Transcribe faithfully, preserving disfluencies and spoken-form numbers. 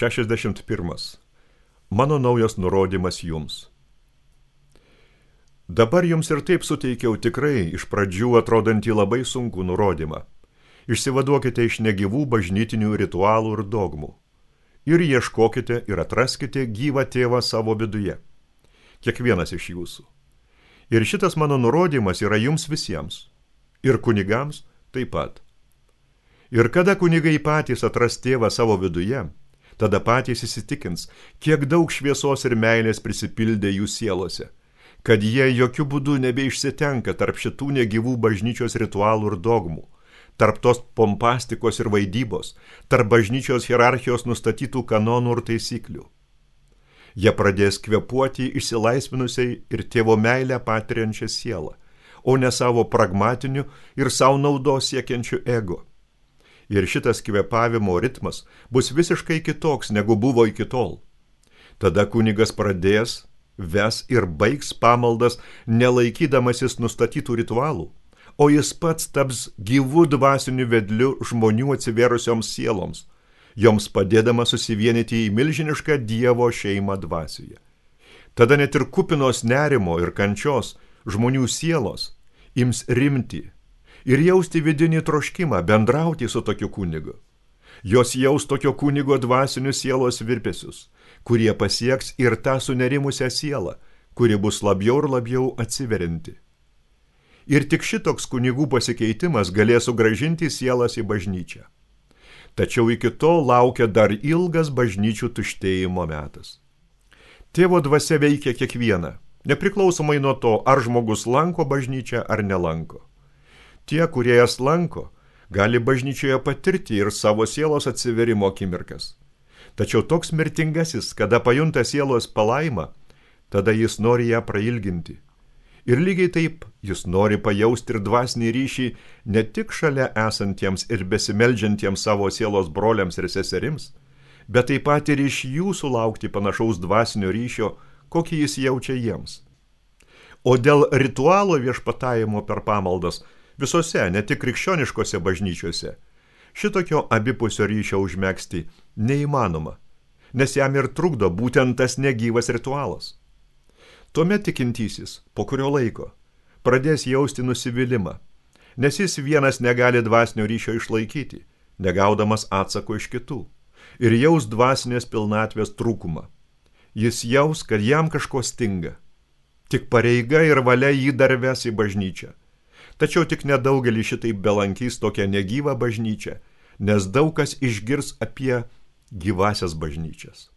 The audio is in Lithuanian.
šešiasdešimt pirmas. Mano naujas nurodymas jums. Dabar jums ir taip suteikiau tikrai iš pradžių atrodantį labai sunkų nurodymą. Išsivaduokite iš negyvų bažnytinių ritualų ir dogmų. Ir ieškokite ir atraskite gyvą tėvą savo viduje. Kiekvienas iš jūsų. Ir šitas mano nurodymas yra jums visiems. Ir kunigams taip pat. Ir kada kunigai patys atras tėvą savo viduje, tada patys įsitikins, kiek daug šviesos ir meilės prisipildė jų sielose, kad jie jokių būdų nebeišsitenka tarp šitų negyvų bažnyčios ritualų ir dogmų, tarp tos pompastikos ir vaidybos, tarp bažnyčios hierarchijos nustatytų kanonų ir taisyklių. Jie pradės kvėpuoti išsilaisvinusiai ir tėvo meilę patiriančią sielą, o ne savo pragmatiniu ir savo naudos siekiančiu ego. Ir šitas kvėpavimo ritmas bus visiškai kitoks, negu buvo iki tol. Tada kunigas pradės, ves ir baigs pamaldas, nelaikydamasis nustatytų ritualų, o jis pats taps gyvų dvasiniu vedliu žmonių atsivėrusioms sieloms, joms padėdama susivienyti į milžinišką Dievo šeimą dvasioje. Tada net ir kupinos nerimo ir kančios žmonių sielos ims rimti ir jausti vidinį troškimą bendrauti su tokiu kunigu. Jos jaus tokio kunigo dvasinius sielos virpesius, kurie pasieks ir tą sunerimusią sielą, kuri bus labiau ir labiau atsiverinti. Ir tik šitoks kunigų pasikeitimas galės sugrąžinti sielas į bažnyčią. Tačiau iki to laukia dar ilgas bažnyčių tuštėjimo metas. Tėvo dvasia veikia kiekvieną, nepriklausomai nuo to, ar žmogus lanko bažnyčią ar nelanko. Tie, kurie jas lanko, gali bažnyčioje patirti ir savo sielos atsiverimo akimirkas. Tačiau toks mirtingasis, kada pajunta sielos palaimą, tada jis nori ją prailginti. Ir lygiai taip jis nori pajausti ir dvasinį ryšį ne tik šalia esantiems ir besimeldžiantiems savo sielos broliams ir seserims, bet taip pat ir iš jų sulaukti panašaus dvasinio ryšio, kokį jis jaučia jiems. O dėl ritualo viešpatavimo per pamaldas visose, ne tik krikščioniškose bažnyčiose, šitokio abipusio ryšio užmegzti neįmanoma, nes jam ir trukdo būtent tas negyvas ritualas. Tuomet tikintysis, po kurio laiko, pradės jausti nusivylimą, nes jis vienas negali dvasinio ryšio išlaikyti, negaudamas atsako iš kitų, ir jaus dvasinės pilnatvės trūkumą. Jis jaus, kad jam kažko stinga. Tik pareiga ir valia jį dar ves į bažnyčią. Tačiau tik nedaugelį šitaip belankys tokią negyvą bažnyčią, nes daug kas išgirs apie gyvasias bažnyčias.